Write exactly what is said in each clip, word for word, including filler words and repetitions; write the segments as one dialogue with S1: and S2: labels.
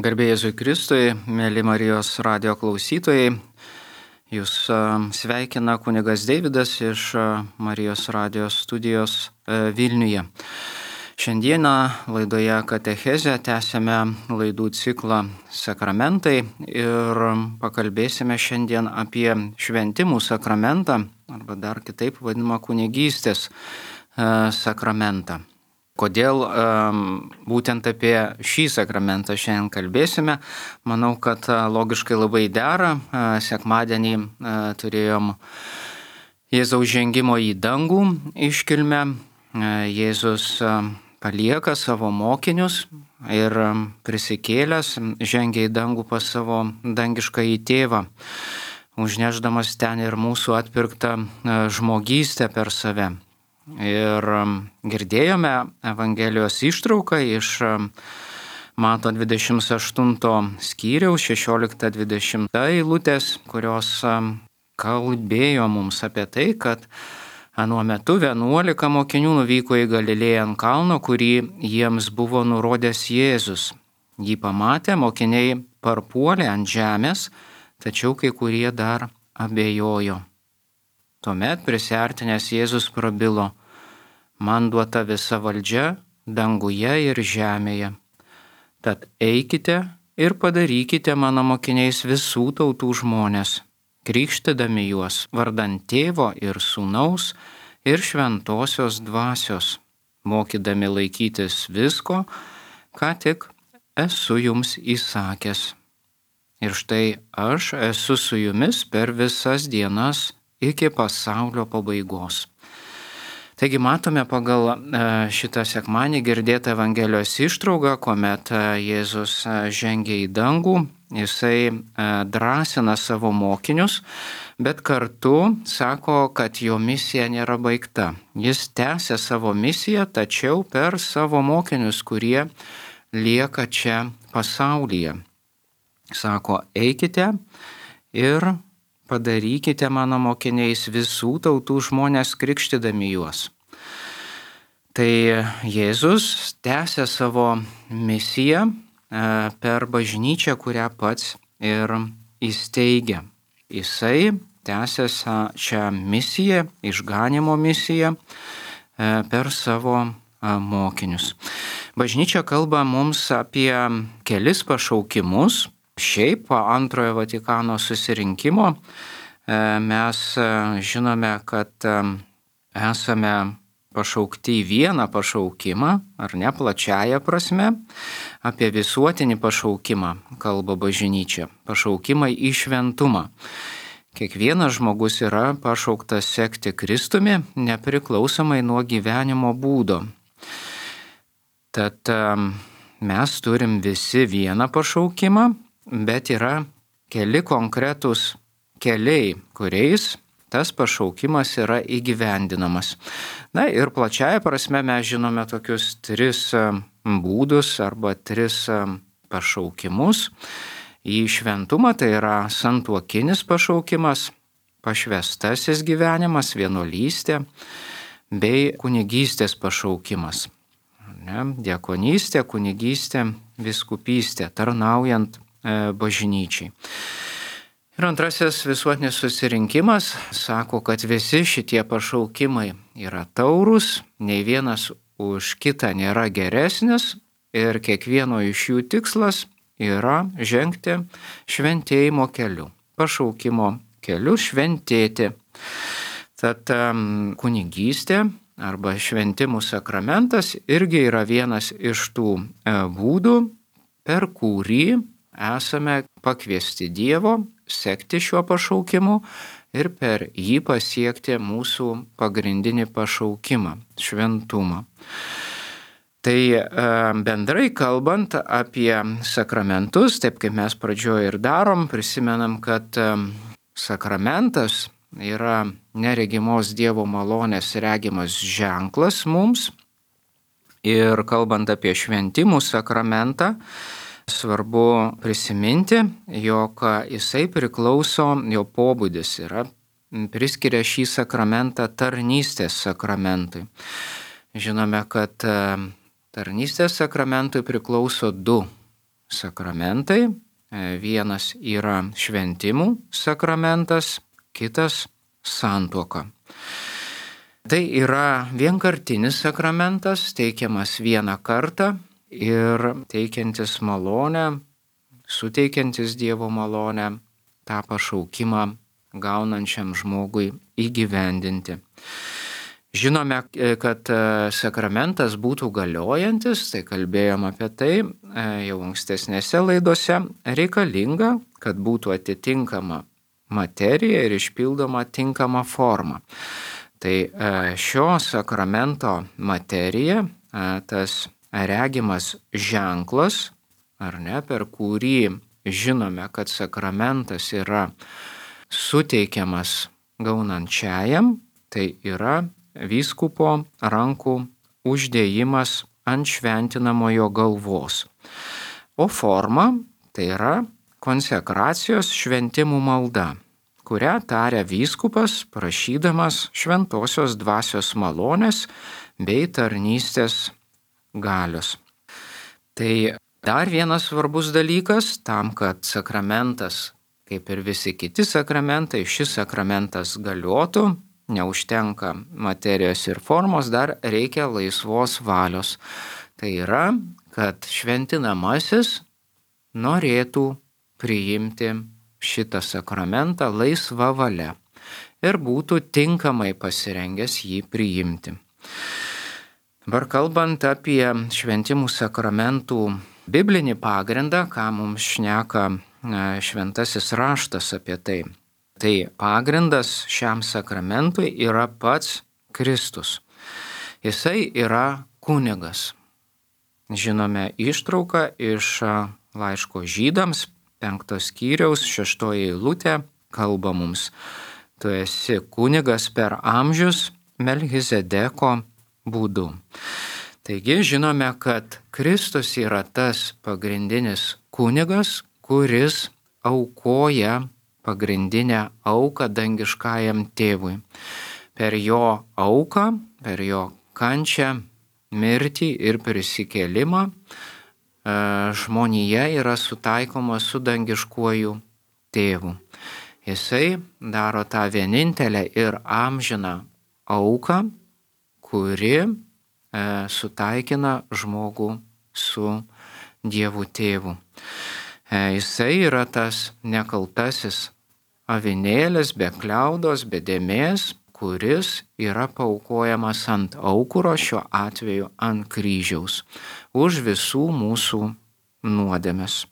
S1: Garbė Jėzui Kristui, mėly Marijos radijo klausytojai, jūs sveikina kunigas Deividas iš Marijos radijo studijos Vilniuje. Šiandieną laidoje Katechezė tęsėme laidų ciklą Sakramentai ir pakalbėsime šiandien apie šventimų sakramentą, arba dar kitaip vadinamą kunigystės sakramentą. Kodėl um, būtent apie šį sakramentą šiandien kalbėsime? Manau, kad uh, logiškai labai dera. Uh, sekmadienį uh, turėjom Jėzaus žengimo į dangų iškilmę. Uh, Jėzus uh, palieka savo mokinius ir um, prisikėlęs žengia į dangų pas savo dangiškąjį tėvą, užnešdamas ten ir mūsų atpirktą uh, žmogystę per save. Ir girdėjome Evangelijos ištrauką iš Mato dvidešimt aštunto skyriaus šešiolikta dvidešimta eilutės, kurios kalbėjo mums apie tai, kad anuo metu vienuolika mokinių nuvyko į Galilėją ant kalno, kurį jiems buvo nurodęs Jėzus. Jį pamatę, mokiniai parpuolė ant žemės, tačiau kai kurie dar abejojo. Tuomet prisiartinęs Jėzus prabilo: man duota visa valdžia danguje ir žemėje. Tad eikite ir padarykite mano mokiniais visų tautų žmones, krikštydami juos vardan Tėvo ir Sūnaus ir Šventosios Dvasios, mokydami laikytis visko, ką tik esu jums įsakęs. Ir štai aš esu su jumis per visas dienas iki pasaulio pabaigos. Taigi matome pagal šitą sekmadienį girdėtą Evangelijos ištrauką, kuomet Jėzus žengia į dangų, jisai drąsina savo mokinius, bet kartu sako, kad jo misija nėra baigta. Jis tęsia savo misiją, tačiau per savo mokinius, kurie lieka čia pasaulyje. Sako, eikite ir padarykite mano mokiniais visų tautų žmones, krikštydami juos. Tai Jėzus tęsia savo misiją per bažnyčią, kurią pats ir įsteigia. Jisai tęsia šią misiją, išganymo misiją per savo mokinius. Bažnyčia kalba mums apie kelis pašaukimus. Šiaip po antrojo Vatikano susirinkimo mes žinome, kad esame pašaukti į vieną pašaukimą, ar ne plačiaja prasme, apie visuotinį pašaukimą kalba bažnyčia, pašaukimą į šventumą. Kiekvienas žmogus yra pašauktas sekti Kristumi, nepriklausomai nuo gyvenimo būdo. Tad mes turim visi vieną pašaukimą, bet yra keli konkretūs keliai, kuriais tas pašaukimas yra įgyvendinamas. Na ir plačiaja prasme mes žinome tokius tris būdus arba tris pašaukimus. Į šventumą tai yra santuokinis pašaukimas, pašvęstasis gyvenimas, vienuolystė bei kunigystės pašaukimas. Ne? Diakonystė, kunigystė, vyskupystė, tarnaujant bažnyčiai. Ir antrasis visuotinis susirinkimas sako, kad visi šitie pašaukimai yra taurūs, nei vienas už kitą nėra geresnis ir kiekvieno iš jų tikslas yra žengti šventėjimo keliu, pašaukimo keliu šventėti. Tad kunigystė arba šventimų sakramentas irgi yra vienas iš tų būdų, per kurį esame pakviesti Dievo sekti šiuo pašaukimu ir per jį pasiekti mūsų pagrindinį pašaukimą – šventumą. Tai bendrai kalbant apie sakramentus, taip kaip mes pradžioje ir darom, prisimenam, kad sakramentas yra neregimos Dievo malonės regimas ženklas mums. Ir kalbant apie šventimų sakramentą, svarbu prisiminti, jog jisai priklauso, jo pobūdis yra, priskiria šį sakramentą tarnystės sakramentui. Žinome, kad tarnystės sakramentui priklauso du sakramentai. Vienas yra šventimų sakramentas, kitas santuoka. Tai yra vienkartinis sakramentas, teikiamas vieną kartą ir teikiantis malonę, suteikiantis Dievo malonę, tą pašaukimą gaunančiam žmogui įgyvendinti. Žinome, kad sakramentas būtų galiojantis, tai kalbėjom apie tai jau ankstesnėse laidose, reikalinga, kad būtų atitinkama materija ir išpildoma tinkama forma. Tai šio sakramento materija, tas regimas ženklas, ar ne, per kurį žinome, kad sakramentas yra suteikiamas gaunančiajam, tai yra vyskupo rankų uždėjimas ant šventinamojo galvos. O forma tai yra konsekracijos šventimų malda, kurią taria vyskupas prašydamas šventosios dvasios malonės bei tarnystės galios. Tai dar vienas svarbus dalykas tam, kad sakramentas, kaip ir visi kiti sakramentai, šis sakramentas galiotų, neužtenka materijos ir formos, dar reikia laisvos valios. Tai yra, kad šventinamasis norėtų priimti šitą sakramentą laisva valia ir būtų tinkamai pasirengęs jį priimti. Dabar kalbant apie šventimų sakramentų biblinį pagrindą, ką mums šneka šventasis raštas apie tai. Tai pagrindas šiam sakramentui yra pats Kristus. Jisai yra kunigas. Žinome ištrauką iš laiško Žydams, penktos skyriaus, šeštoji eilutė, kalba mums: tu esi kunigas per amžius Melchizedeko būdu. Taigi žinome, kad Kristus yra tas pagrindinis kunigas, kuris aukoja pagrindinę auką dangiškajam tėvui. Per jo auką, per jo kančią, mirtį ir prisikėlimą žmonija yra sutaikoma su dangiškuoju tėvu. Jisai daro tą vienintelę ir amžiną auką, kuri sutaikina žmogų su Dievu tėvu. Jisai yra tas nekaltasis avinėlis be kliaudos, be dėmės, kuris yra paaukojamas ant aukuro, šiuo atveju ant kryžiaus, už visų mūsų nuodėmes.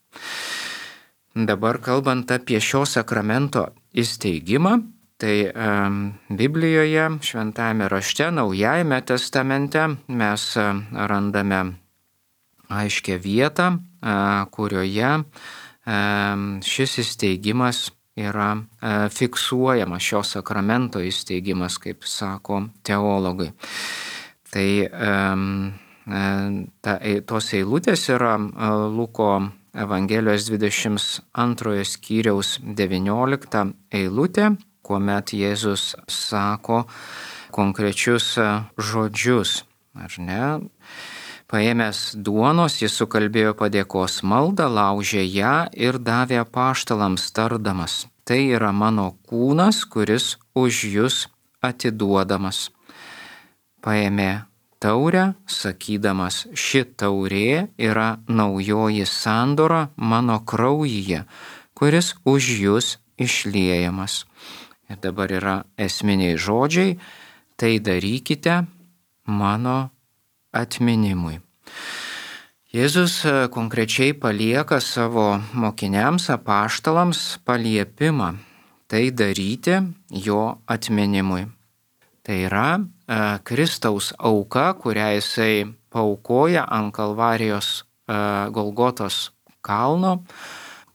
S1: Dabar kalbant apie šio sakramento įsteigimą, tai um, Biblijoje, Šventajame rašte, Naujajame testamente mes uh, randame aiškią vietą, uh, kurioje uh, šis įsteigimas yra uh, fiksuojamas, šio sakramento įsteigimas, kaip sako teologai. Tai um, ta, tos eilutės yra uh, Luko Evangelijos dvidešimt antrojo skyriaus devyniolikta eilutė, kuomet Jėzus sako konkrečius žodžius, ar ne? Paėmęs duonos, jis sukalbėjo padėkos maldą, laužė ją ir davė apaštalams tardamas: tai yra mano kūnas, kuris už jus atiduodamas. Paėmė taurę, sakydamas: ši taurė yra naujoji sandora mano kraujyje, kuris už jus išliejamas. Ir dabar yra esminiai žodžiai: tai darykite mano atminimui. Jėzus konkrečiai palieka savo mokiniams, apaštalams paliepimą tai daryti jo atminimui. Tai yra e, Kristaus auka, kurią jisai paaukoja ant Kalvarijos e, Golgotos kalno,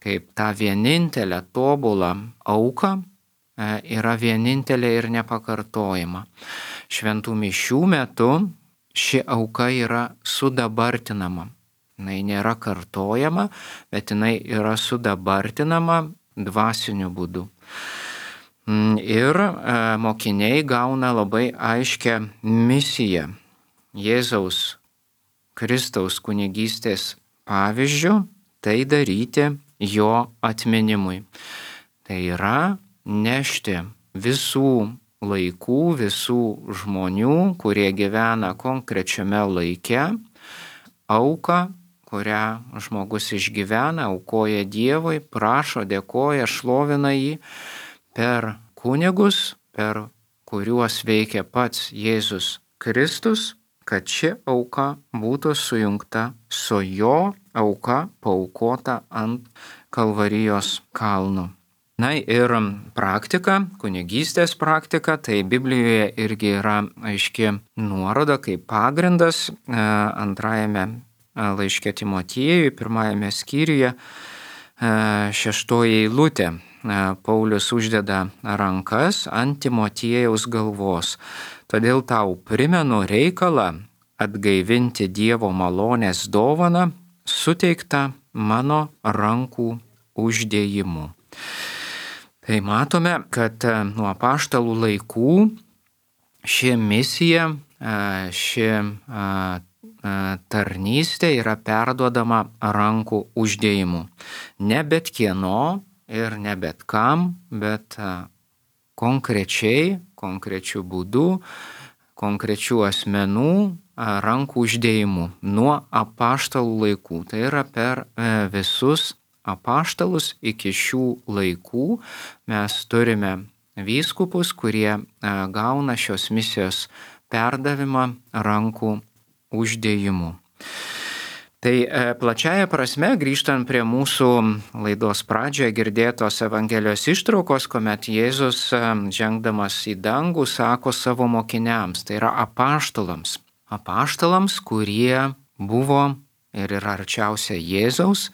S1: kaip tą vienintelę tobulą auką, e, yra vienintelė ir nepakartojama. Šventų mišių metu ši auka yra sudabartinama. Jinai nėra kartojama, bet jinai yra sudabartinama dvasiniu būdu. Ir e, mokiniai gauna labai aiškią misiją Jėzaus Kristaus kunigystės pavyzdžių, tai daryti jo atminimui. Tai yra nešti visų laikų, visų žmonių, kurie gyvena konkrečiame laike, auką, kurią žmogus išgyvena, aukoja Dievui, prašo, dėkoja, šlovina jį per kunigus, per kuriuos veikia pats Jėzus Kristus, kad ši auka būtų sujungta su jo auka paaukota ant Kalvarijos kalno. Na ir praktika, kunigystės praktika, tai Biblijoje irgi yra aiški nuoroda kaip pagrindas antrajame laiške Timotiejui, pirmajame skyriuje, šeštoji eilutė. Paulius uždeda rankas ant Timotiejaus galvos. Todėl tau primenu reikalą atgaivinti Dievo malonės dovaną, suteiktą mano rankų uždėjimu. Tai matome, kad nuo apaštalų laikų ši misija, ši tarnystė yra perduodama rankų uždėjimu. Ne bet kieno ir ne bet kam, bet konkrečiai, konkrečių būdų, konkrečių asmenų rankų uždėjimu nuo apaštalų laikų. Tai yra per visus apaštalus iki šių laikų mes turime vyskupus, kurie gauna šios misijos perdavimą rankų uždėjimu. Tai plačiaja prasme, grįžtant prie mūsų laidos pradžioje girdėtos Evangelijos ištraukos, kuomet Jėzus, žengdamas į dangų, sako savo mokiniams, tai yra apaštalams. Apaštalams, kurie buvo ir yra arčiausia Jėzaus,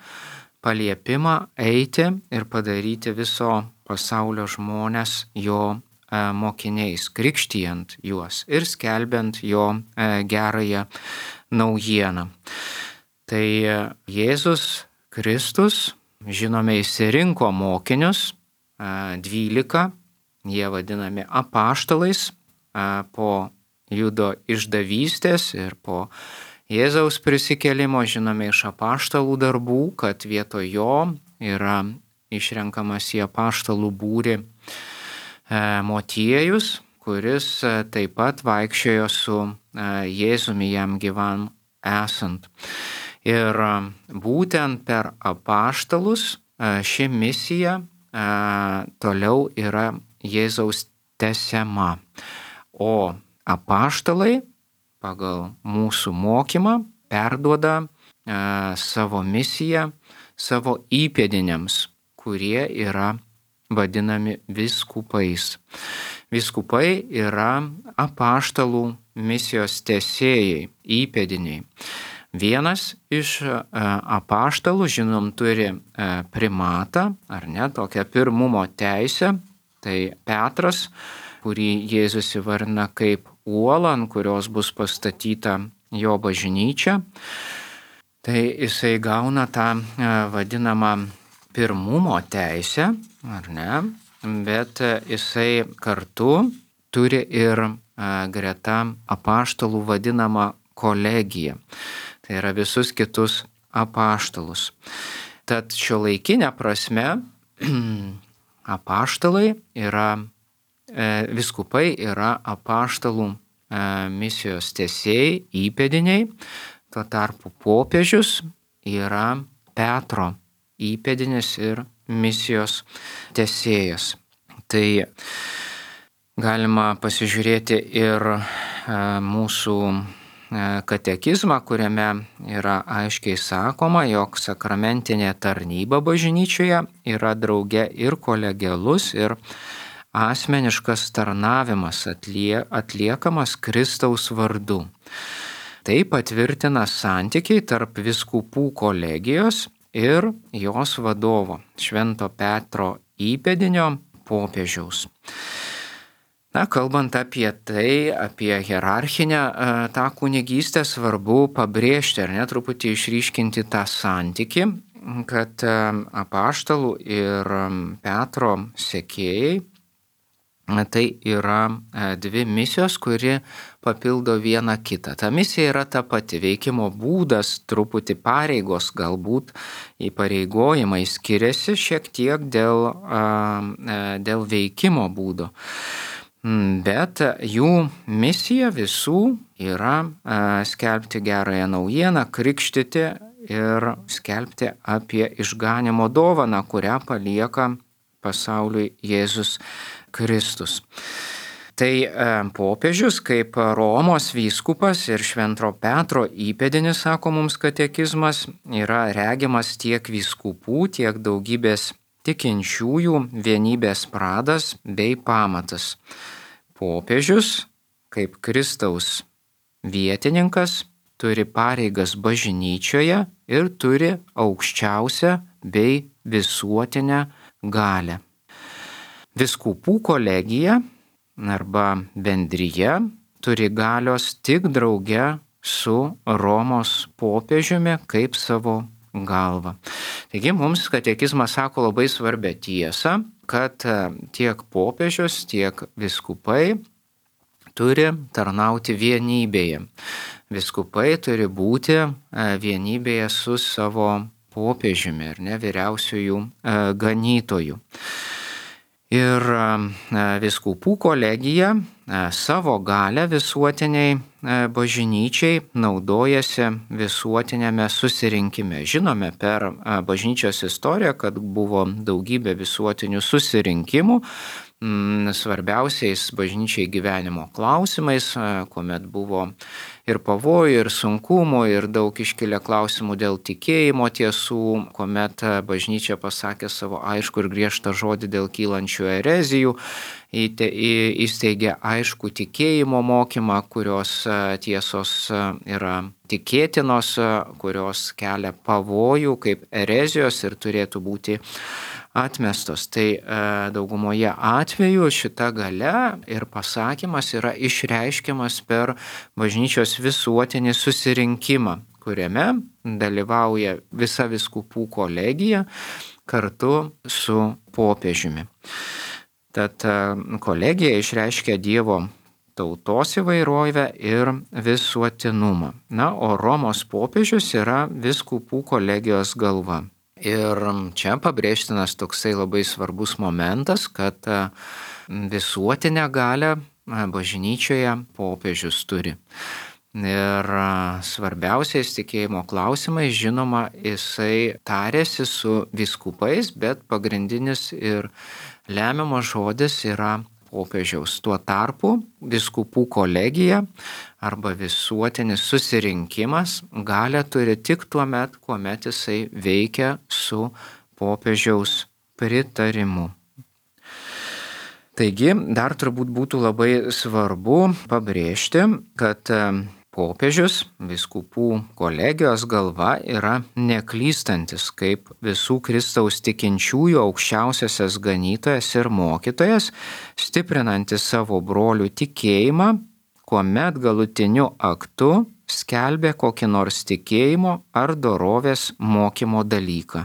S1: paliepimą eiti ir padaryti viso pasaulio žmones jo mokiniais, krikštijant juos ir skelbiant jo gerąją naujieną. Tai Jėzus Kristus, žinome, išsirinko mokinius, dvylika, jie vadinami apaštalais, po Judo išdavystės ir po Jėzaus prisikėlimo žinome iš apaštalų darbų, kad vietoj jo yra išrenkamas į apaštalų būrį Motiejus, kuris taip pat vaikščiojo su Jėzumi jam gyvam esant. Ir būtent per apaštalus ši misija toliau yra Jėzaus tęsiama. O apaštalai pagal mūsų mokymą perduoda e, savo misiją savo įpėdiniams, kurie yra vadinami vyskupais. Vyskupai yra apaštalų misijos tęsėjai, įpėdiniai. Vienas iš e, apaštalų, žinom, turi e, primatą, ar ne, tokią pirmumo teisę, tai Petras, kurį Jėzus įvardina kaip uolą, ant kurios bus pastatyta jo bažnyčia. Tai jisai gauna tą vadinamą pirmumo teisę, ar ne, bet jisai kartu turi ir greta apaštalų vadinamą kolegiją. Tai yra visus kitus apaštalus. Tad šiuolaikinė prasme apaštalai yra Vyskupai yra apaštalų misijos tęsėjai, įpėdiniai, tuo tarpu popiežius yra Petro įpėdinis ir misijos tęsėjas. Tai galima pasižiūrėti ir mūsų katekizmą, kuriame yra aiškiai sakoma, jog sakramentinė tarnyba bažnyčioje yra drauge ir kolegialus, ir asmeniškas tarnavimas atlie, atliekamas Kristaus vardu. Tai patvirtina santykiai tarp vyskupų kolegijos ir jos vadovo, Švento Petro įpėdinio popiežiaus. Na, kalbant apie tai, apie hierarchinę tą kunigystę, svarbu pabrėžti, ar ne, truputį išryškinti tą santykį, kad apaštalų ir Petro sekėjai tai yra dvi misijos, kuri papildo vieną kitą. Ta misija yra ta pati, veikimo būdas, truputį pareigos, galbūt įpareigojimai skiriasi šiek tiek dėl, dėl veikimo būdo. Bet jų misija visų yra skelbti gerąją naujieną, krikštyti ir skelbti apie išganymo dovaną, kurią palieka pasauliui Jėzus Kristus. Tai popiežius kaip Romos vyskupas ir Švento Petro įpėdinis, sako mums katekizmas, yra regimas tiek vyskupų, tiek daugybės tikinčiųjų vienybės pradas bei pamatas. Popiežius kaip Kristaus vietininkas turi pareigas bažnyčioje ir turi aukščiausią bei visuotinę galią. Vyskupų kolegija arba bendrija turi galios tik drauge su Romos popiežiumi kaip savo galva. Taigi mums katekizmas sako labai svarbią tiesą, kad tiek popiežius, tiek vyskupai turi tarnauti vienybėje. Vyskupai turi būti vienybėje su savo popiežiumi ir ne vyriausiųjų ganytojų. Ir vyskupų kolegija savo galę visuotiniai bažnyčiai naudojasi visuotinėme susirinkime. Žinome per bažnyčios istoriją, kad buvo daugybė visuotinių susirinkimų, svarbiausiais bažnyčiai gyvenimo klausimais, kuomet buvo ir pavojų, ir sunkumų, ir daug iškilę klausimų dėl tikėjimo tiesų, kuomet bažnyčia pasakė savo aišku ir griežtą žodį dėl kylančių erezijų, įsteigė aišku tikėjimo mokymą, kurios tiesos yra tikėtinos, kurios kelia pavojų kaip erezijos ir turėtų būti atmestos. Tai daugumoje atvejų šita galia ir pasakymas yra išreiškiamas per bažnyčios visuotinį susirinkimą, kuriame dalyvauja visa vyskupų kolegija kartu su popiežiumi. Tad kolegija išreiškia Dievo tautos įvairovę ir visuotinumą. Na, o Romos popiežius yra vyskupų kolegijos galva. Ir čia pabrėžtinas toksai labai svarbus momentas, kad visuotinę galią bažnyčioje popiežius turi. Ir svarbiausiais tikėjimo klausimais, žinoma, jisai tarėsi su vyskupais, bet pagrindinis ir lemiamas žodis yra popiežiaus. Tuo tarpu vyskupų kolegija arba visuotinis susirinkimas galią turi tik tuo met, kuomet jisai veikia su popiežiaus pritarimu. Taigi, dar turbūt būtų labai svarbu pabrėžti, kad popiežius, vyskupų kolegijos galva, yra neklystantis kaip visų Kristaus tikinčiųjų aukščiausiasis ganytojas ir mokytojas, stiprinantis savo brolių tikėjimą, kuomet galutiniu aktu skelbė kokį nors tikėjimo ar dorovės mokymo dalyką.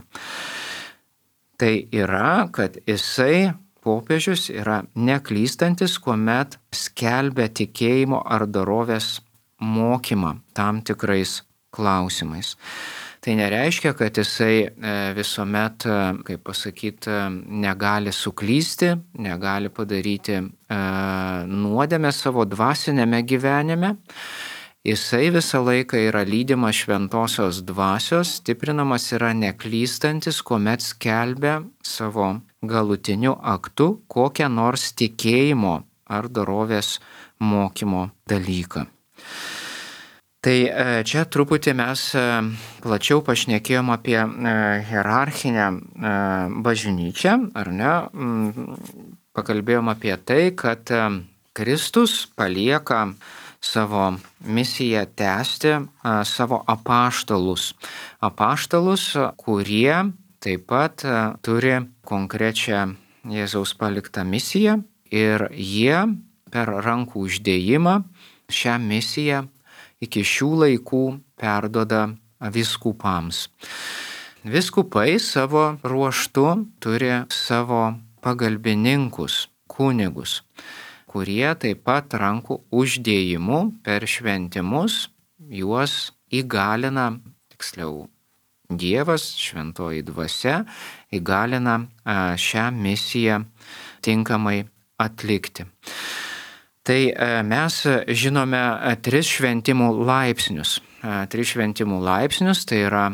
S1: Tai yra, kad jisai popiežius yra neklystantis, kuomet skelbia tikėjimo ar dorovės mokymą tam tikrais klausimais. Tai nereiškia, kad jisai visuomet, kaip pasakyti, negali suklysti, negali padaryti nuodėmę savo dvasinėme gyvenime. Jisai visą laiką yra lydimas šventosios dvasios, stiprinamas yra neklystantis, kuomet skelbia savo galutiniu aktu kokią nors tikėjimo ar dorovės mokymo dalyką. Tai čia truputį mes plačiau pašnekėjom apie hierarchinę bažnyčią, ar ne? Pakalbėjom apie tai, kad Kristus palieka savo misiją tęsti savo apaštalus. Apaštalus, kurie taip pat turi konkrečią Jėzaus paliktą misiją ir jie per rankų uždėjimą šią misiją iki šių laikų perduoda vyskupams. Vyskupai savo ruožtu turi savo pagalbininkus kunigus, kurie taip pat rankų uždėjimu per šventimus juos įgalina, tiksliau, Dievas, šventoji dvasia, įgalina šią misiją tinkamai atlikti. Tai mes žinome tris šventimų laipsnius. Tris šventimų laipsnius tai yra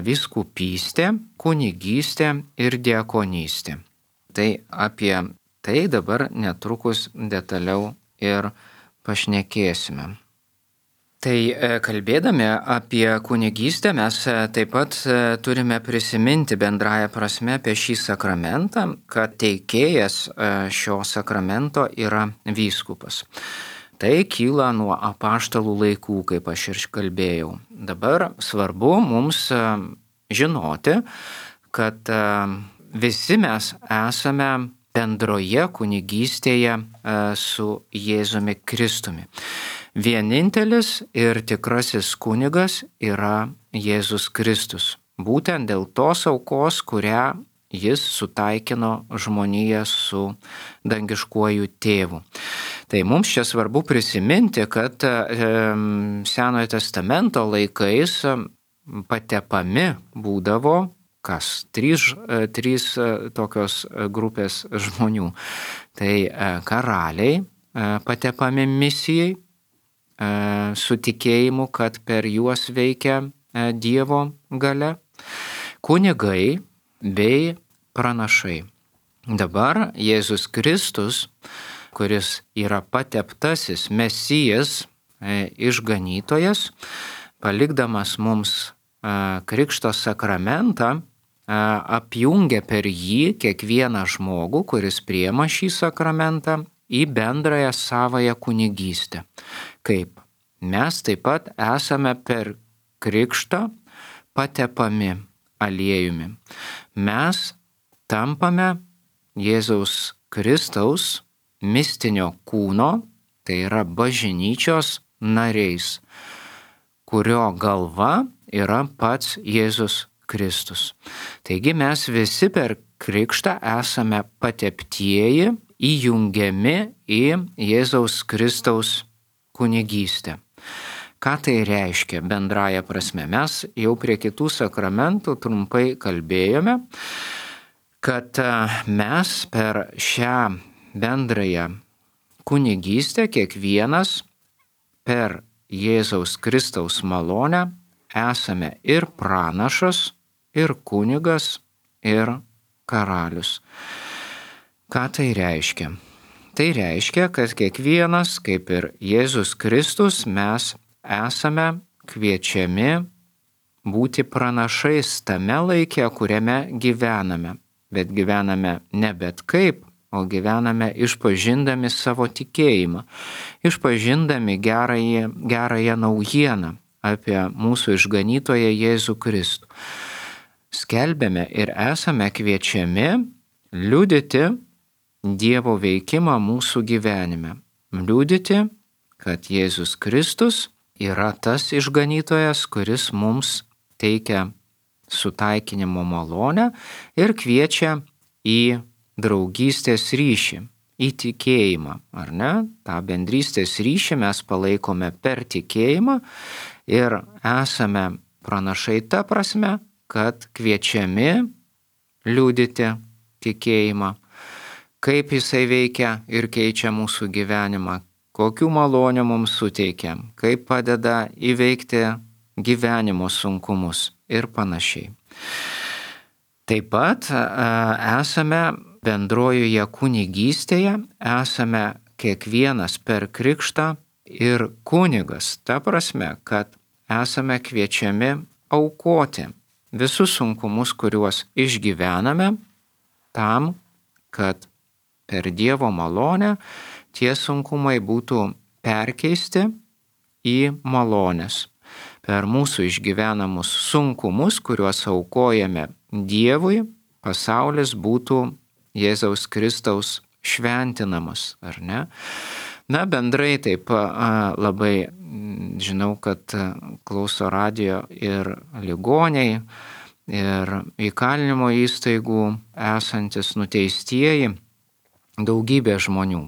S1: vyskupystė, kunigystė ir diakonystė. Tai apie tai dabar netrukus detaliau ir pašnekėsime. Tai kalbėdami apie kunigystę mes taip pat turime prisiminti bendrąją prasme apie šį sakramentą, kad teikėjas šio sakramento yra vyskupas. Tai kyla nuo apaštalų laikų, kaip aš ir kalbėjau. Dabar svarbu mums žinoti, kad visi mes esame bendroje kunigystėje su Jėzumi Kristumi. Vienintelis ir tikrasis kunigas yra Jėzus Kristus. Būtent dėl tos aukos, kurią jis sutaikino žmoniją su dangiškuoju tėvu. Tai mums čia svarbu prisiminti, kad Senojo testamento laikais patepami būdavo kas? Trys, trys tokios grupės žmonių. Tai karaliai patepami misijai, su tikėjimu, kad per juos veikia Dievo galia, kunigai bei pranašai. Dabar Jėzus Kristus, kuris yra pateptasis Mesijas, išganytojas, palikdamas mums krikšto sakramentą, apjungia per jį kiekvieną žmogų, kuris priima šį sakramentą, į bendrąją savąją kunigystę. Kaip? Mes taip pat esame per krikštą patepami aliejumi. Mes tampame Jėzaus Kristaus mistinio kūno, tai yra bažnyčios nariais, kurio galva yra pats Jėzus Kristus. Taigi mes visi per krikštą esame pateptieji, įjungiami į Jėzaus Kristaus kunigystę. Ką tai reiškia bendraja prasme? Mes jau prie kitų sakramentų trumpai kalbėjome, kad mes per šią bendrąją kunigystę kiekvienas per Jėzaus Kristaus malonę esame ir pranašas, ir kunigas, ir karalius. Ką tai reiškia? Tai reiškia, kad kiekvienas, kaip ir Jėzus Kristus, mes esame kviečiami būti pranašais tame laike, kuriame gyvename. Bet gyvename ne bet kaip, o gyvename išpažindami savo tikėjimą, išpažindami gerąją, gerąją naujieną apie mūsų išganytoją Jėzų Kristų. Skelbėme ir esame kviečiami liudyti Dievo veikimą mūsų gyvenime. Liudyti, kad Jėzus Kristus yra tas išganytojas, kuris mums teikia sutaikinimo malonę ir kviečia į draugystės ryšį, į tikėjimą, ar ne? Ta bendrystės ryšį mes palaikome per tikėjimą ir esame pranašai ta prasme, kad kviečiami liudyti tikėjimą, kaip jisai veikia ir keičia mūsų gyvenimą, kokių malonių mums suteikia, kaip padeda įveikti gyvenimo sunkumus ir panašiai. Taip pat esame bendrojoje kunigystėje, esame kiekvienas per krikštą ir kunigas, ta prasme, kad esame kviečiami aukoti visus sunkumus, kuriuos išgyvename, tam, kad per Dievo malonę tie sunkumai būtų perkeisti į malonės. Per mūsų išgyvenamus sunkumus, kuriuos aukojame Dievui, pasaulis būtų Jėzaus Kristaus šventinamas, ar ne? Na, bendrai taip labai žinau, kad klauso radijo ir ligoniai, ir įkalinimo įstaigų esantis nuteistieji. daugybė žmonių.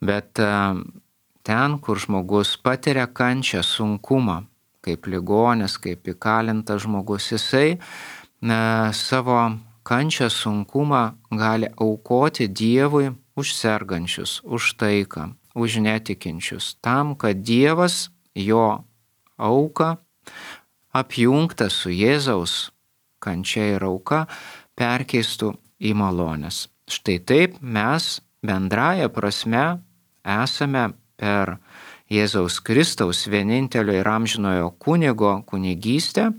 S1: Bet ten, kur žmogus patiria kančią, sunkumą, kaip ligonis, kaip įkalintas žmogus, jisai na, savo kančią, sunkumą gali aukoti Dievui už sergančius, už taiką, už netikinčius, tam, kad Dievas jo auką apjungtą su Jėzaus kančia ir auka perkeistų į malonės. Štai taip mes bendraja prasme esame per Jėzaus Kristaus vienintelio ir amžinojo kunigo kunigystę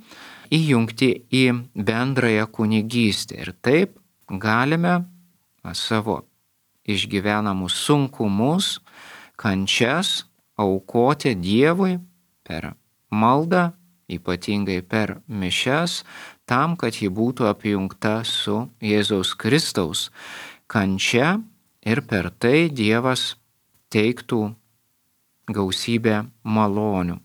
S1: įjungti į bendrąją kunigystę. Ir taip galime savo išgyvenamus sunkumus, kančias aukoti Dievui per maldą, ypatingai per mišias, tam, kad ji būtų apjungta su Jėzaus Kristaus kančia ir per tai Dievas teiktų gausybę malonių.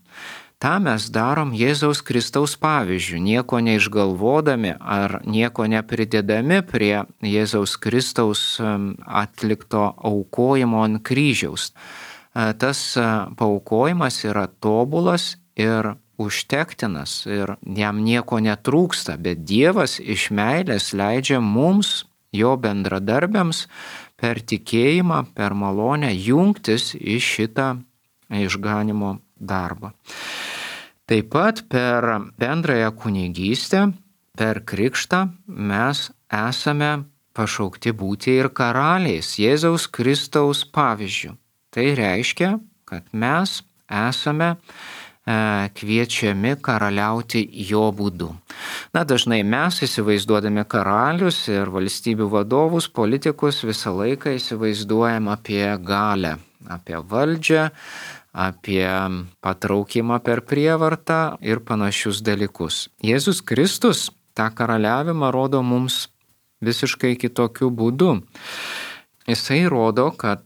S1: Ta mes darom Jėzaus Kristaus pavyzdžių, nieko neišgalvodami ar nieko nepridedami prie Jėzaus Kristaus atlikto aukojimo ant kryžiaus. Tas paaukojimas yra tobulas ir užtektinas ir jam nieko netrūksta, bet Dievas iš meilės leidžia mums, jo bendradarbiams, per tikėjimą, per malonę jungtis į šitą išganimo darbą. Taip pat per bendrąją kunigystę, per krikštą mes esame pašaukti būti ir karaliais Jėzaus Kristaus pavyzdžiu. Tai reiškia, kad mes esame kviečiami karaliauti jo būdu. Na, dažnai mes įsivaizduodami karalius ir valstybių vadovus, politikus visą laiką įsivaizduojam apie galią, apie valdžią, apie patraukimą per prievartą ir panašius dalykus. Jėzus Kristus tą karaliavimą rodo mums visiškai kitokiu būdu. Jisai rodo, kad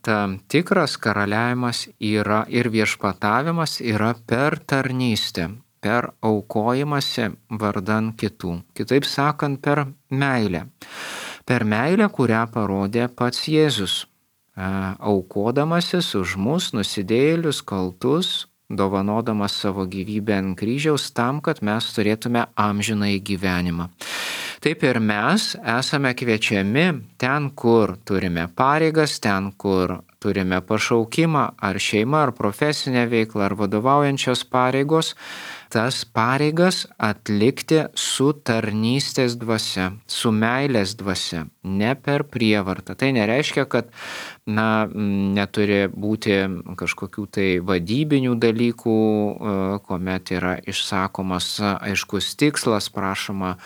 S1: tikras karaliavimas yra ir viešpatavimas yra per tarnystę, per aukojimąsi vardan kitų. Kitaip sakant, per meilę. Per meilę, kurią parodė pats Jėzus, aukodamasis už mus nusidėjėlius, kaltus, dovanodamas savo gyvybę ant kryžiaus tam, kad mes turėtume amžinąjį gyvenimą. Taip ir mes esame kviečiami ten, kur turime pareigas, ten, kur turime pašaukimą, ar šeimą, ar profesinę veiklą, ar vadovaujančios pareigos, tas pareigas atlikti su tarnystės dvasia, su meilės dvasia, ne per prievartą. Tai nereiškia, kad na, neturi būti kažkokių tai vadybinių dalykų, kuomet yra išsakomas aiškus tikslas, prašoma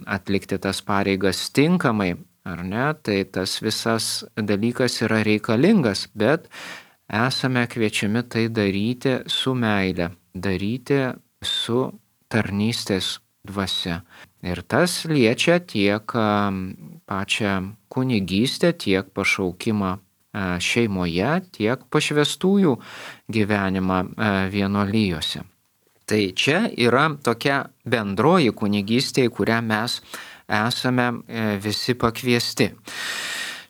S1: atlikti tas pareigas tinkamai, ar ne, tai tas visas dalykas yra reikalingas, bet esame kviečiami tai daryti su meile, daryti su tarnystės dvasia. Ir tas liečia tiek pačią kunigystę, tiek pašaukimą šeimoje, tiek pašvestųjų gyvenimą vienuolijose. Tai čia yra tokia bendroji kunigystė, į kurią mes esame visi pakviesti.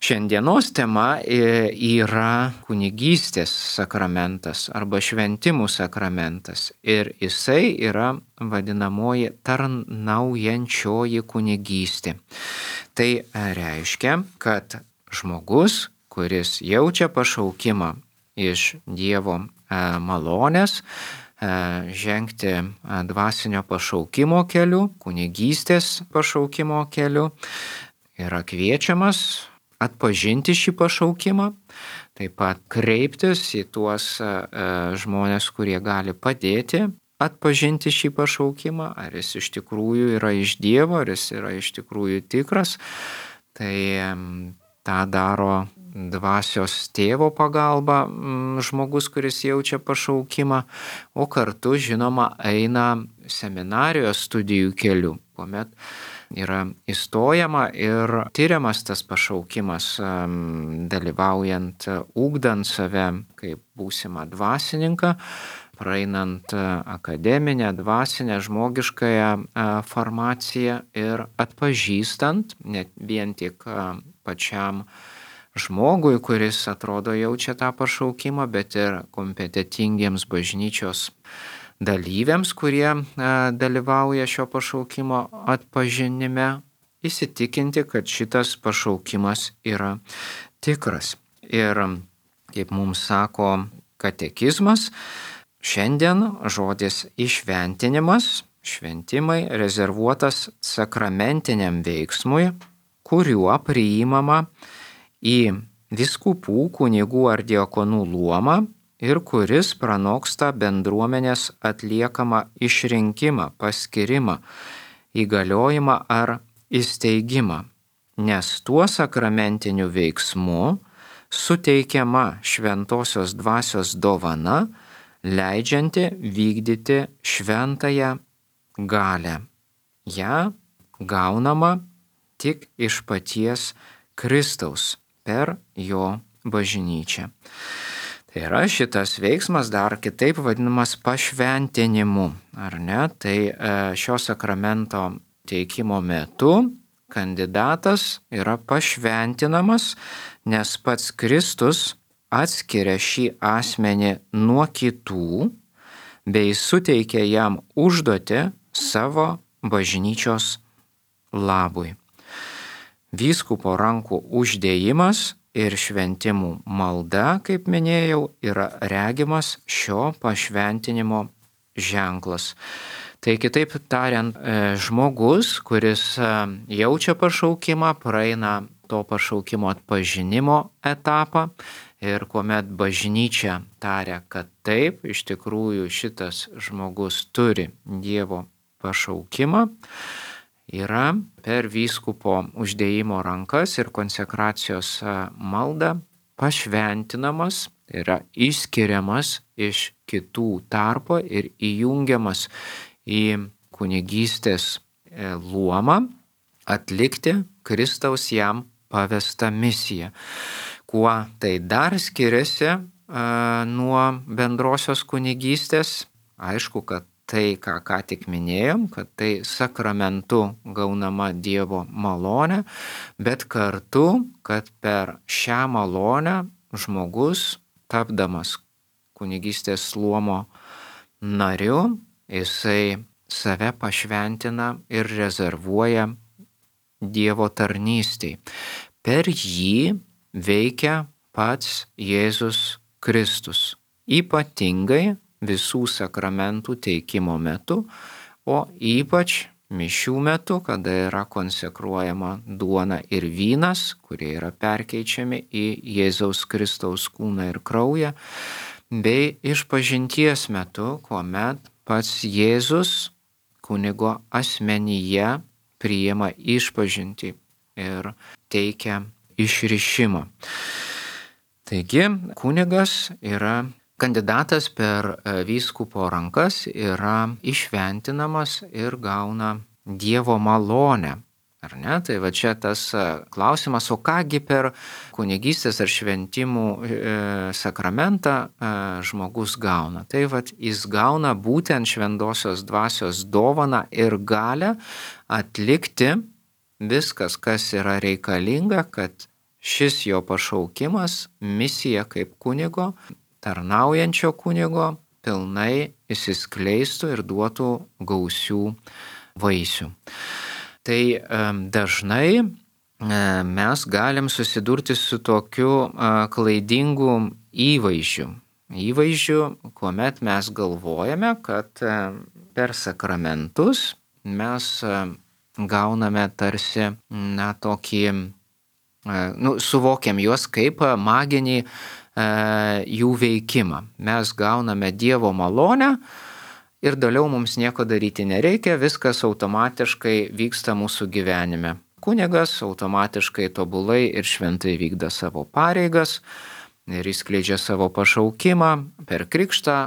S1: Šiandienos tema yra kunigystės sakramentas arba šventimų sakramentas ir jisai yra vadinamoji tarnaujančioji kunigystė. Tai reiškia, kad žmogus, kuris jaučia pašaukimą iš Dievo malonės, žengti dvasinio pašaukimo keliu, kunigystės pašaukimo keliu, yra kviečiamas atpažinti šį pašaukimą, taip pat kreiptis į tuos žmonės, kurie gali padėti atpažinti šį pašaukimą, ar jis iš tikrųjų yra iš Dievo, ar jis yra iš tikrųjų tikras. Tai tą daro dvasios tėvo pagalba žmogus, kuris jaučia pašaukimą, o kartu, žinoma, eina seminarijos studijų keliu, kuomet yra įstojama ir tyriamas tas pašaukimas, dalyvaujant, ugdant save kaip būsimą dvasininką, praeinant akademinę, dvasinę, žmogiškąją formaciją ir atpažįstant, ne vien tik pačiam žmogui, kuris atrodo jaučia tą pašaukimą, bet ir kompetitingiems bažnyčios dalyviams, kurie e, dalyvauja šio pašaukimo atpažinime, įsitikinti, kad šitas pašaukimas yra tikras. Ir kaip mums sako katekizmas, šiandien žodis įšventinimas, šventimai rezervuotas sakramentiniam veiksmui, kuriuo priimama į vyskupų, kunigų ar diakonų luomą ir kuris pranoksta bendruomenės atliekamą išrinkimą, paskyrimą, įgaliojimą ar įsteigimą, nes tuo sakramentiniu veiksmu suteikiama šventosios dvasios dovana, leidžianti vykdyti šventąją galią. Ja gaunama tik iš paties Kristaus per jo bažnyčią. Tai yra šitas veiksmas dar kitaip vadinamas pašventinimu, ar ne? Tai šio sakramento teikimo metu kandidatas yra pašventinamas, nes pats Kristus atskiria šį asmenį nuo kitų bei suteikia jam užduotį savo bažnyčios labui. Vyskupo rankų uždėjimas ir šventimų malda, kaip minėjau, yra regimas šio pašventinimo ženklas. Tai kitaip tariant, žmogus, kuris jaučia pašaukimą, praeina to pašaukimo atpažinimo etapą ir kuomet bažnyčia taria, kad taip, iš tikrųjų šitas žmogus turi Dievo pašaukimą, yra per vyskupo uždėjimo rankas ir konsekracijos maldą pašventinamas, yra išskiriamas iš kitų tarpo ir įjungiamas į kunigystės luomą atlikti Kristaus jam pavestą misiją. Kuo tai dar skiriasi a, nuo bendrosios kunigystės? Aišku, kad tai, ką ką tik minėjom, kad tai sakramentu gaunama Dievo malonė, bet kartu, kad per šią malonę žmogus, tapdamas kunigystės luomo nariu, jisai save pašventina ir rezervuoja Dievo tarnystei. Per jį veikia pats Jėzus Kristus, ypatingai visų sakramentų teikimo metu, o ypač mišių metu, kada yra konsekruojama duona ir vynas, kurie yra perkeičiami į Jėzaus Kristaus kūną ir kraują, bei išpažinties metu, kuomet pats Jėzus kunigo asmenyje priima išpažintį ir teikia išrišimą. Taigi kunigas yra kandidatas per vyskupo rankas, yra išventinamas ir gauna Dievo malonę. Ar ne? Tai va čia tas klausimas, o kągi per kunigystės ar šventimų e, sakramentą e, žmogus gauna. Tai va jis gauna būtent šventosios dvasios dovaną ir galę atlikti viskas, kas yra reikalinga, kad šis jo pašaukimas, misija kaip kunigo, tarnaujančio kunigo, pilnai įsiskleistų ir duotų gausių vaisių. Tai dažnai mes galim susidurti su tokiu klaidingu įvaizdžiu. Įvaizdžiu, kuomet mes galvojame, kad per sakramentus mes gauname tarsi, na, tokį, nu, suvokiam juos kaip maginį jų veikimą. Mes gauname Dievo malonę, ir toliau mums nieko daryti nereikia, viskas automatiškai vyksta mūsų gyvenime. Kunigas automatiškai tobulai ir šventai vykda savo pareigas ir įskleidžia savo pašaukimą. Per krikštą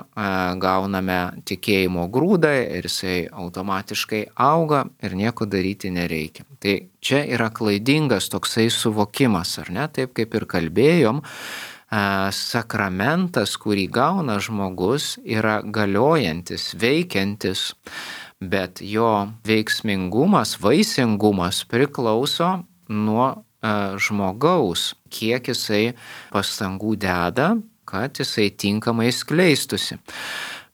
S1: gauname tikėjimo grūdą ir jisai automatiškai auga ir nieko daryti nereikia. Tai čia yra klaidingas toksai suvokimas, ar ne? Taip kaip ir kalbėjom, sakramentas, kurį gauna žmogus, yra galiojantis, veikiantis, bet jo veiksmingumas, vaisingumas priklauso nuo žmogaus, kiek jisai pastangų deda, kad jisai tinkamai skleistusi.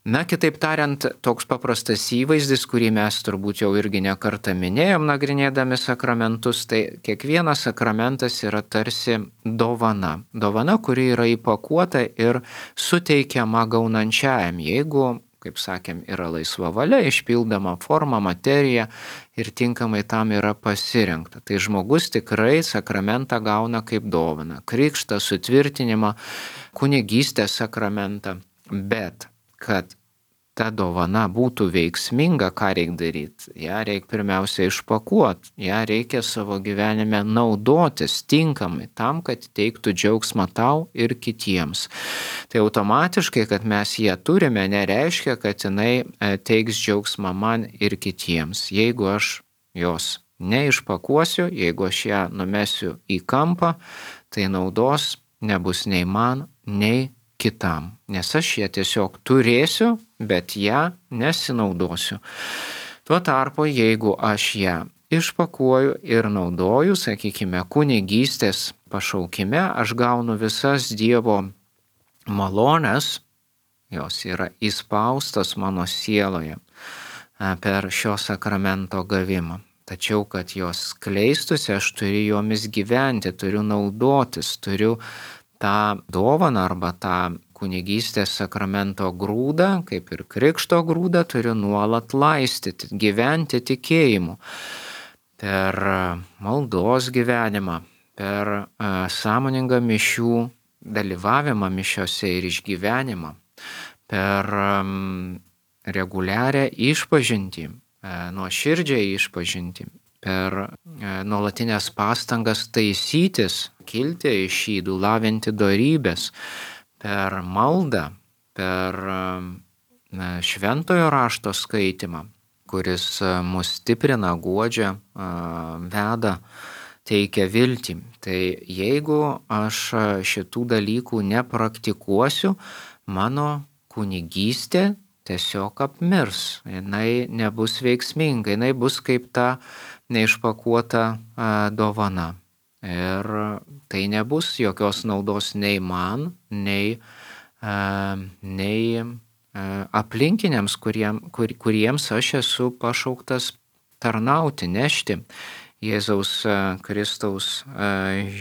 S1: Na, kitaip tariant, toks paprastas įvaizdis, kurį mes turbūt jau irgi nekartą minėjom nagrinėdami sakramentus, tai kiekvienas sakramentas yra tarsi dovana. Dovana, kuri yra įpakuota ir suteikiama gaunančiajam, jeigu, kaip sakėm, yra laisva valia, išpildama forma, materija ir tinkamai tam yra pasirinkta. Tai žmogus tikrai sakramentą gauna kaip dovana. Krikštą, sutvirtinimą, kunigystės sakramentą, bet kad ta dovana būtų veiksminga, ką reikia daryti? Ja reikia pirmiausia išpakuoti, ja reikia savo gyvenime naudotis tinkamai tam, kad teiktų džiaugsmą tau ir kitiems. Tai automatiškai, kad mes ją turime, nereiškia, kad jinai teiks džiaugsmą man ir kitiems. Jeigu aš jos neišpakuosiu, jeigu aš ją numesiu į kampą, tai naudos nebus nei man, nei kitam, nes aš ją tiesiog turėsiu, bet ją nesinaudosiu. Tuo tarpu, jeigu aš ją išpakuoju ir naudoju, sakykime, kunigystės pašaukime, aš gaunu visas Dievo malonės, jos yra įspaustos mano sieloje per šio sakramento gavimą. Tačiau, kad jos skleistusi, aš turiu jomis gyventi, turiu naudotis, turiu tą dovaną arba tą kunigystės sakramento grūdą, kaip ir krikšto grūdą, turiu nuolat laistyti, gyventi tikėjimu. Per maldos gyvenimą, per sąmoningą mišių dalyvavimą mišiose ir išgyvenimą, per reguliarią išpažintį, nuoširdžią išpažintį, per nuolatinės pastangas taisytis, kilti iš ydų, lavinti dorybės, per maldą, per šventojo rašto skaitymą, kuris mus stiprina, guodžia, veda, teikia viltį. Tai jeigu aš šitų dalykų nepraktikuosiu, mano kunigystė tiesiog apmirs, jinai nebus veiksminga, jinai bus kaip ta neišpakuota dovana. Ir tai nebus jokios naudos nei man, nei, nei aplinkiniams, kuriem, kur, kuriems aš esu pašauktas tarnauti, nešti Jėzaus Kristaus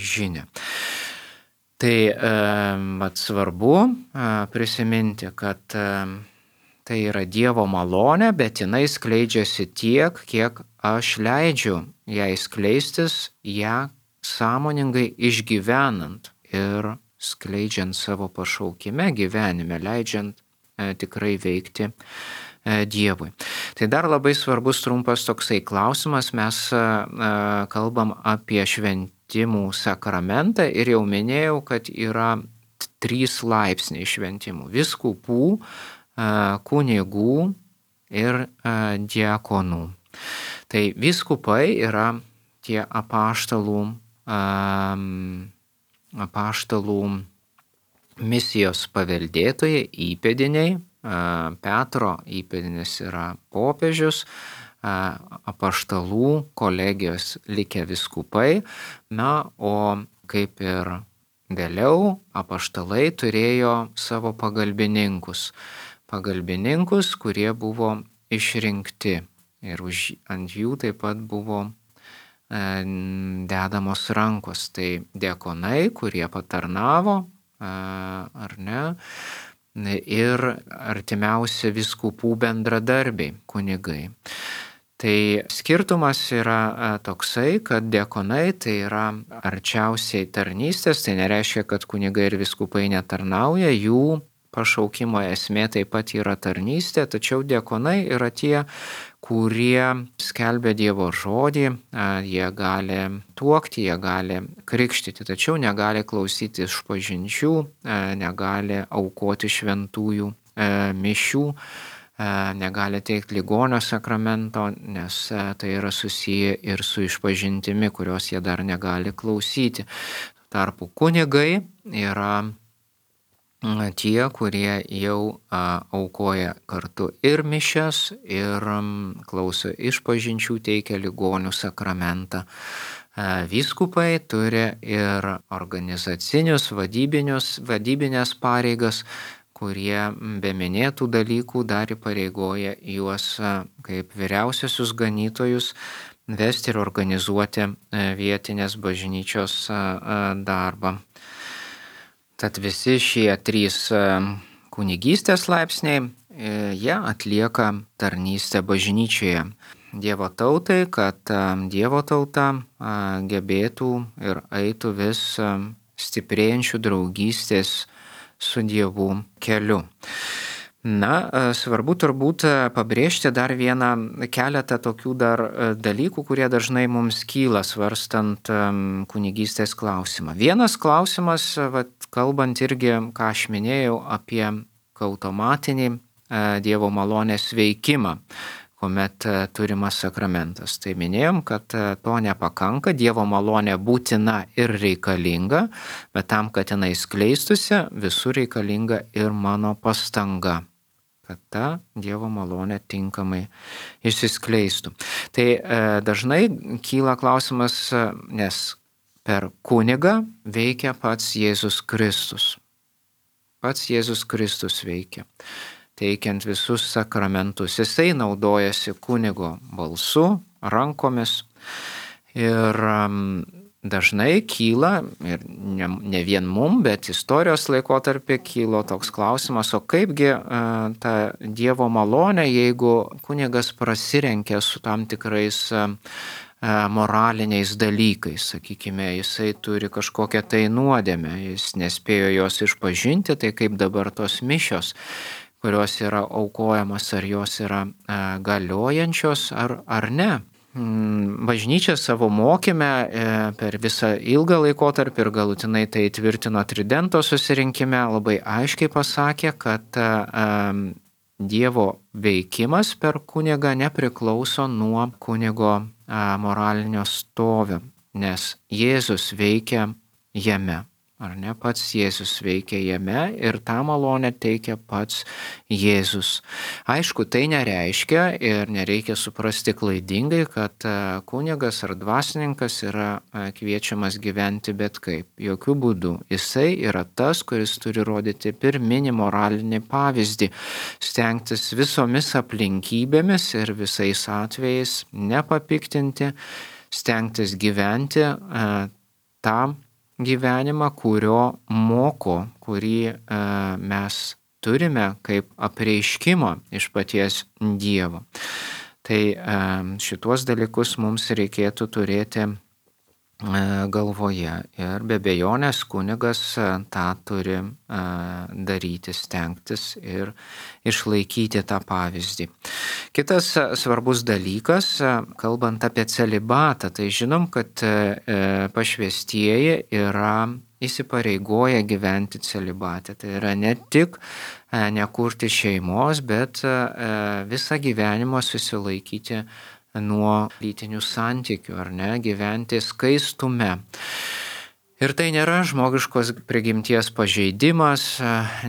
S1: žinią. Tai vat svarbu prisiminti, kad tai yra Dievo malonė, bet jinai skleidžiasi tiek, kiek aš leidžiu jai skleistis, ją sąmoningai išgyvenant ir skleidžiant savo pašaukime gyvenime, leidžiant e, tikrai veikti e, Dievui. Tai dar labai svarbus trumpas toksai klausimas, mes e, kalbam apie šventimų sakramentą ir jau minėjau, kad yra trys laipsniai šventimų – vyskupų, e, kunigų ir e, diakonų. Tai vyskupai yra tie apaštalų apaštalų misijos paveldėtojai, įpėdiniai. Petro įpėdinis yra popiežius, apaštalų kolegijos likę vyskupai. Na, o kaip ir vėliau, apaštalai turėjo savo pagalbininkus. Pagalbininkus, kurie buvo išrinkti ir už, ant jų taip pat buvo dedamos rankos. Tai diakonai, kurie patarnavo, ar ne, ir artimiausi vyskupų bendradarbiai, kunigai. Tai skirtumas yra toksai, kad diakonai tai yra arčiausiai tarnystės, tai nereiškia, kad kunigai ir vyskupai netarnauja, jų pašaukimo esmė taip pat yra tarnystė, tačiau diakonai yra tie, kurie skelbia Dievo žodį, jie gali tuokti, jie gali krikštyti, tačiau negali klausyti išpažinčių, negali aukoti šventųjų mišių, negali teikti ligonio sakramento, nes tai yra susiję ir su išpažintimi, kurios jie dar negali klausyti. Tarpu kunigai yra tie, kurie jau aukoja kartu ir mišias, ir klauso išpažinčių, teikia ligonių sakramentą Vyskupai turi ir organizacinius, vadybinius, vadybinės pareigas, kurie be minėtų dalykų dar įpareigoja juos kaip vyriausiosius ganytojus vesti ir organizuoti vietinės bažnyčios darbą. Tad visi šie trys kunigystės laipsniai, jie atlieka tarnystę bažnyčioje Dievo tautai, kad Dievo tauta gebėtų ir eitų vis stiprėjančių draugystės su Dievu keliu. Na, svarbu turbūt pabrėžti dar vieną keletą tokių dar dalykų, kurie dažnai mums kyla svarstant kunigystės klausimą. Vienas klausimas, vat, kalbant irgi, ką aš minėjau, apie automatinį Dievo malonės veikimą, kuomet turimas sakramentas. Tai minėjom, kad to nepakanka, Dievo malonė būtina ir reikalinga, bet tam, kad jinai skleistusi, visur reikalinga ir mano pastanga, kad ta Dievo malonė tinkamai išsiskleistų. Tai e, dažnai kyla klausimas, nes per kunigą veikia pats Jėzus Kristus. Pats Jėzus Kristus veikia, teikiant visus sakramentus. Jisai naudojasi kunigo balsu, rankomis ir um, dažnai kyla, ir ne, ne vien mum, bet istorijos laikotarpį kylo toks klausimas, o kaipgi uh, ta Dievo malonė, jeigu kunigas prasirenkia su tam tikrais uh, moraliniais dalykais, sakykime, jisai turi kažkokią tai nuodėmę, jis nespėjo jos išpažinti, tai kaip dabar tos mišios, kurios yra aukojamos, ar jos yra e, galiojančios, ar, ar ne. Bažnyčia savo mokyme e, per visą ilgą laikotarpį ir galutinai tai tvirtino Tridento susirinkime, labai aiškiai pasakė, kad e, Dievo veikimas per kunigą nepriklauso nuo kunigo e, moralinio stovio, nes Jėzus veikia jame. Ar ne, pats Jėzus veikia jame ir tą malonę teikia pats Jėzus. Aišku, tai nereiškia ir nereikia suprasti klaidingai, kad kunigas ar dvasininkas yra kviečiamas gyventi bet kaip. Jokių būdų. Jisai yra tas, kuris turi rodyti pirminį moralinį pavyzdį, stengtis visomis aplinkybėmis ir visais atvejais nepapiktinti, stengtis gyventi tą gyvenimą, kurio moko, kurį e, mes turime kaip apreiškimą iš paties Dievo. Tai e, šituos dalykus mums reikėtų turėti e, galvoje ir be abejonės kunigas e, tą turi e, daryti, stengtis ir išlaikyti tą pavyzdį. Kitas svarbus dalykas, kalbant apie celibatą, tai žinom, kad pašvęstieji yra įsipareigoję gyventi celibate. Tai yra ne tik nekurti šeimos, bet visą gyvenimą susilaikyti nuo lytinių santykių, ar ne, gyventi skaistume. Ir tai nėra žmogiškos prigimties pažeidimas,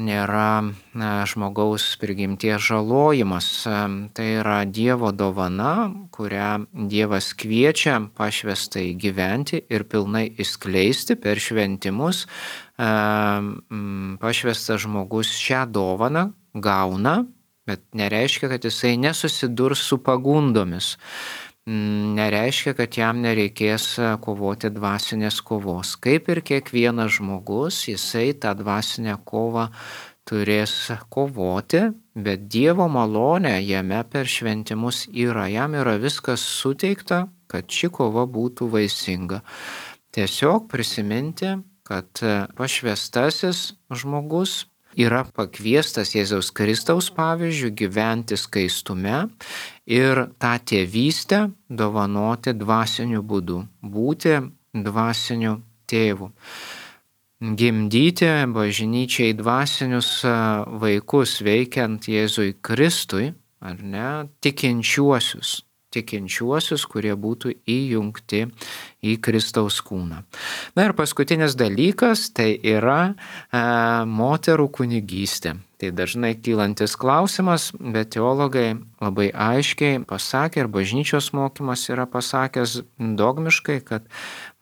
S1: nėra žmogaus prigimties žalojimas. Tai yra Dievo dovana, kurią Dievas kviečia pašvęstai gyventi ir pilnai išskleisti per šventimus. Pašvęstas žmogus šią dovaną gauna, bet nereiškia, kad jisai nesusidurs su pagundomis. Nereiškia, kad jam nereikės kovoti dvasinės kovos. Kaip ir kiekvienas žmogus, jisai tą dvasinę kovą turės kovoti, bet Dievo malonė jame per šventimus yra. Jam yra viskas suteikta, kad ši kova būtų vaisinga. Tiesiog prisiminti, kad pašvęstasis žmogus yra pakviestas Jėzaus Kristaus pavyzdžių gyventi skaistume ir tą tėvystę dovanoti dvasiniu būdu, būti dvasiniu tėvu. Gimdyti bažnyčiai dvasinius vaikus veikiant Jėzui Kristui, ar ne, tikinčiuosius. tikinčiuosius, kurie būtų įjungti į Kristaus kūną. Na ir paskutinis dalykas tai yra e, moterų kunigystė. Tai dažnai kylantis klausimas, bet teologai labai aiškiai pasakė ir bažnyčios mokymas yra pasakęs dogmiškai, kad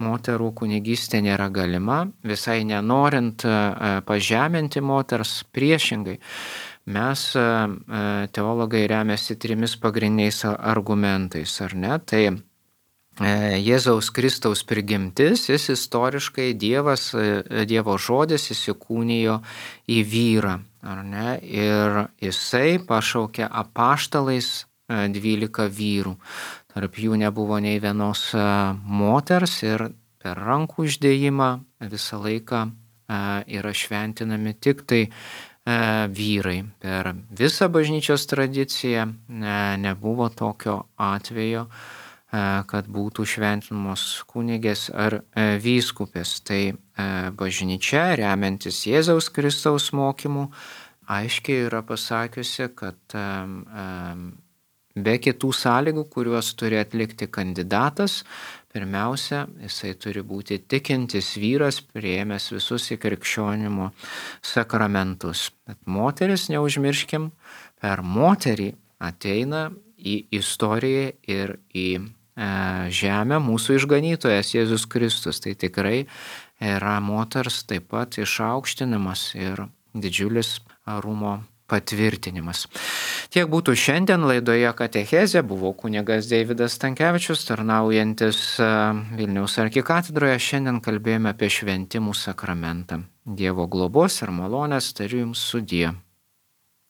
S1: moterų kunigystė nėra galima, visai nenorint e, pažeminti moters, priešingai. Mes teologai remiasi trimis pagrindiniais argumentais, ar ne? Tai Jėzaus Kristaus prigimtis, jis istoriškai Dievas, Dievo žodis įsikūnijo į vyrą, ar ne? Ir jisai pašaukė apaštalais dvylika vyrų. Tarp jų nebuvo nei vienos moters ir per rankų uždėjimą visą laiką yra šventinami tik tai vyrai. Per visą bažnyčios tradiciją nebuvo tokio atvejo, kad būtų šventinamos kunigės ar vyskupės. Tai bažnyčia, remiantis Jėzaus Kristaus mokymu, aiškiai yra pasakiusi, kad be kitų sąlygų, kuriuos turi atlikti kandidatas, pirmiausia, jisai turi būti tikintis vyras, priėmęs visus įkrikščionimo sakramentus. Bet moteris, neužmirškim, per moterį ateina į istoriją ir į e, žemę mūsų išganytojas Jėzus Kristus. Tai tikrai yra moters taip pat išaukštinimas ir didžiulis orumo patvirtinimas. Tiek būtų šiandien laidoje Katechezė. Buvau kunigas Deividas Stankevičius, tarnaujantis Vilniaus arkikatedroje. Šiandien kalbėjome apie šventimų sakramentą. Dievo globos ir malonės tariu jums sudie.